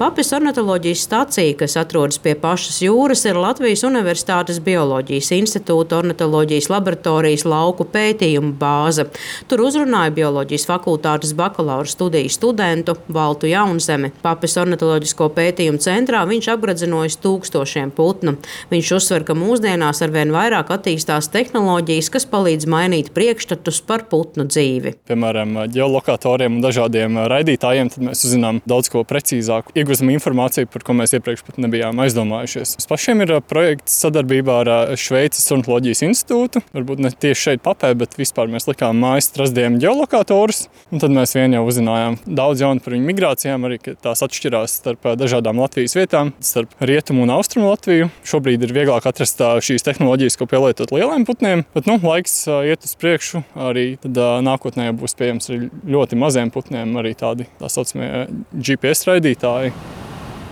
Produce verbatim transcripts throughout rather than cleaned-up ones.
Papes ornitoloģijas stacija, kas atrodas pie pašas jūras, ir Latvijas Universitātes Bioloģijas institūta ornitoloģijas laboratorijas lauku pētījumu bāze. Tur uzrunāja bioloģijas fakultātes bakalaura studiju studentu Valtu Jaunzemi. Papes ornitoloģisko pētījumu centrā viņš apgredzinojis tūkstošiem putnu. Viņš uzsver, ka mūsdienās arvien vairāk attīstās tehnoloģijas, kas palīdz mainīt priekšstatus par putnu dzīvi. Piemēram, ģeolokatoriem un dažādiem raidītājiem, tad mēs uzzinām daudz ko precīzāku. Iegūstam informāciju, par ko mēs iepriekš pat nebijām aizdomājušies. Mums pašiem ir projekts sadarbībā ar Šveices ornitoloģijas institūtu. Varbūt ne tieši šeit Papē, bet vispār mēs likām mājas trasdiem ģeolokatorus. Un tad mēs vien jau uzzinājām daudz jaunu par viņu migrācijām, arī ka tās atšķirās starp dažādām Latvijas vietām, starp Rietumu un Austrumu Latviju. Šobrīd ir vieglāk atrast šīs tehnoloģijas, ko pielietot lieliem putniem, bet nu, laiks iet uz priekšu. Arī tad nākotnē būs pieejams arī ļoti maziem putniem, arī tādi tā saucamie G P S raidītāji.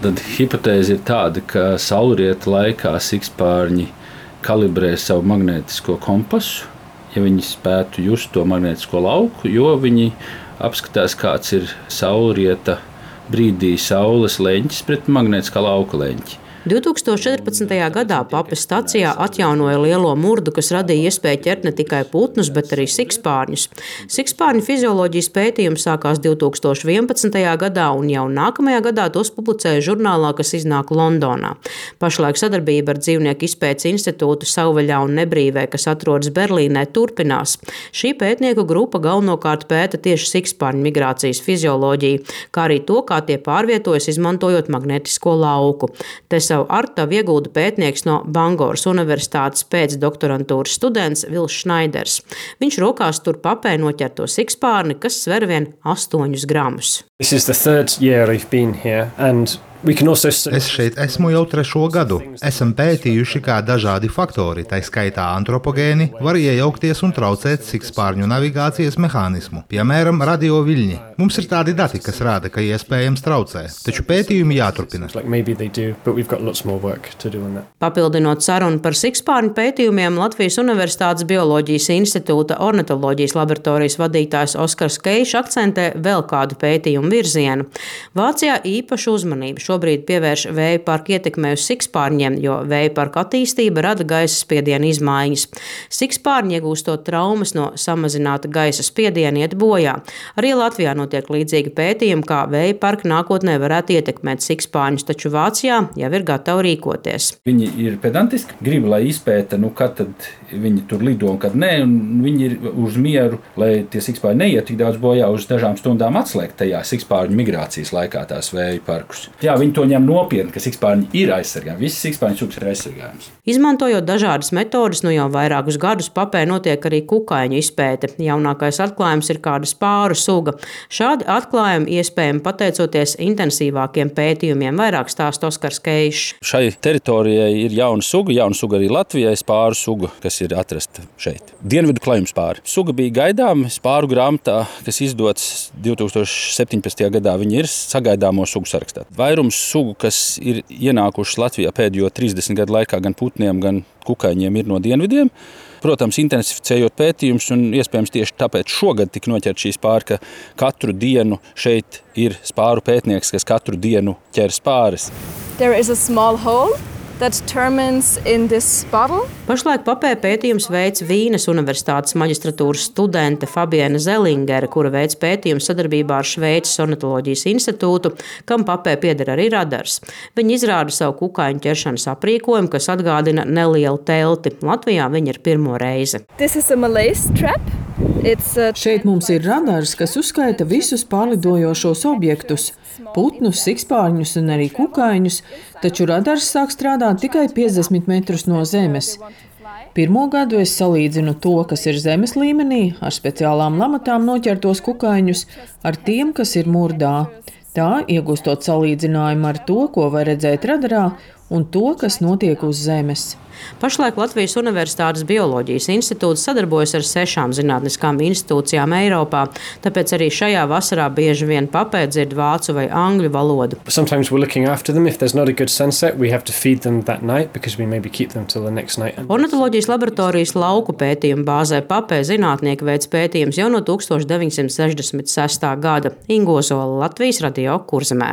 Tad hipotēze ir tāda, ka saulrieta laikā sikspārņi kalibrē savu magnētisko kompasu, ja viņi spētu just to magnētisko lauku, jo viņi apskatās, kāds ir saulrieta brīdī saules leņķis pret magnētiskā lauka leņķi. divi tūkstoši četrpadsmitajā gadā Papes stacijā atjaunoja lielo murdu, kas radīja iespēju ķert ne tikai putnus, bet arī sikspārņus. Sikspārņu fizioloģijas pētījums sākās divi tūkstoši vienpadsmitajā gadā, un jau nākamajā gadā tos publicēja žurnālā, kas iznāk Londonā. Pašlaik sadarbība ar Dzīvnieku izpētes institūtu Savvaļā un Nebrīvē, kas atrodas Berlīnē, turpinās. Šī pētnieku grupa galvenokārt pēta tieši sikspārņu migrācijas fizioloģiju, kā arī to, kā tie pārvietojas, izmantojot magnētisko lauku. Te savu artavu iegulda pētnieks no Bangoras Universitātes pēcdoktorantūras students Vils Šnaiders. Viņš rokās tur Papē noķerto sikspārni, kas sver vien astoņus gramus. This is the third year I've been here, and Es šeit esmu jau trešo gadu. Esam pētījuši, kā dažādi faktori, tā skaitā antropogēni, var iejaukties un traucēt sikspārņu navigācijas mehānismu, piemēram, radioviļņi. Mums ir tādi dati, kas rāda, ka iespējams traucē, taču pētījumi jāturpina. Papildinot sarunu par sikspārņu pētījumiem, Latvijas Universitātes Bioloģijas institūta ornitoloģijas laboratorijas vadītājs Oskars Keišs akcentē vēl kādu pētījumu virzienu. Vācijā īpašu uzmanību šobrīd pievērš vēja parka ietekmē uz sikspārņiem, jo vēja parka attīstība rada gaisa spiediena izmaiņas. Sikspārņi, iegūstot traumas no samazināta gaisa spiediena, iet bojā. Arī Latvijā notiek līdzīgi pētījumi, kā vēja parka nākotnē varētu ietekmēt sikspārņus, taču Vācijā jau ir gatavi rīkoties. Viņi ir pedantiski, grib, lai izpēta, nu, kad tad viņi tur lido un kad nē, un viņi ir uz mieru, lai tie sikspārņi neiet tik daudz bojā, uz dažām stundām atslēgt tajā sikspārņu migrācijas laikā tās vēja parkus. Jā, viņi to ņem nopietni, ka sikspārņi ir aizsargājami. Visi sikspārņu sugas ir aizsargājams. Izmantojot dažādas metodes, nu jau vairākus gadus Papē notiek arī kukaiņu izpēte. Jaunākais atklājums ir kāda spāru suga. Šādi atklājumi iespējami pateicoties intensīvākiem pētījumiem, vairāk stāsta Oskars Keišs. Šai teritorijai ir jauna suga, jauna suga arī Latvijai, spāru suga, kas ir atrasta šeit. Dienvidu klajuma spāri. Suga bija gaidām spāru grāmatā, kas izdots divi tūkstoši septiņpadsmitajā gadā. Viņi ir sagaidāmo sugu sarakstā. Vairums sugu, kas ir ienākušas Latvijā pēdējo trīsdesmit gadu laikā, gan putniem, gan kukaiņiem, ir no dienvidiem. Protams, intensificējot pētījumus, un iespējams tieši tāpēc šogad tika noķert šī spāra, ka katru dienu šeit ir spāru pētnieks, kas katru dienu ķer spāres. There is a small hole that determines in this bottle. Pašlaik Papē pētījums veic Vīnes Universitātes maģistratūras studente Fabiena Zelingere, kura veic pētījumu sadarbībā ar Šveices ornitoloģijas institūtu, kam Papē pieder arī radars. Viņi izrāda savu kukaiņu ķeršanas aprīkojumu, kas atgādina nelielu telti. Latvijā viņi ir pirmo reizi. This is a malaise trap. Šeit mums ir radars, kas uzskaita visus pārlidojošos objektus – putnus, sikspārņus un arī kukaiņus, taču radars sāk strādāt tikai piecdesmit metrus no zemes. Pirmo gadu es salīdzinu to, kas ir zemes līmenī, ar speciālām lamatām noķertos kukaiņus, ar tiem, kas ir murdā. Tā iegūstot salīdzinājumu ar to, ko var redzēt radarā, un to, kas notiek uz zemes. Pašlaik Latvijas Universitātes Bioloģijas institūts sadarbojas ar sešām zinātniskām institūcijām Eiropā, tāpēc arī šajā vasarā bieži vien Papē dzird vācu vai angļu valodu. Ornitoloģijas laboratorijas lauku pētījumu bāzē Papē zinātnieki veic pētījumus jau no tūkstoš deviņsimt sešdesmit sestā gada. Ingo Zola, Latvijas radio Kurzemē.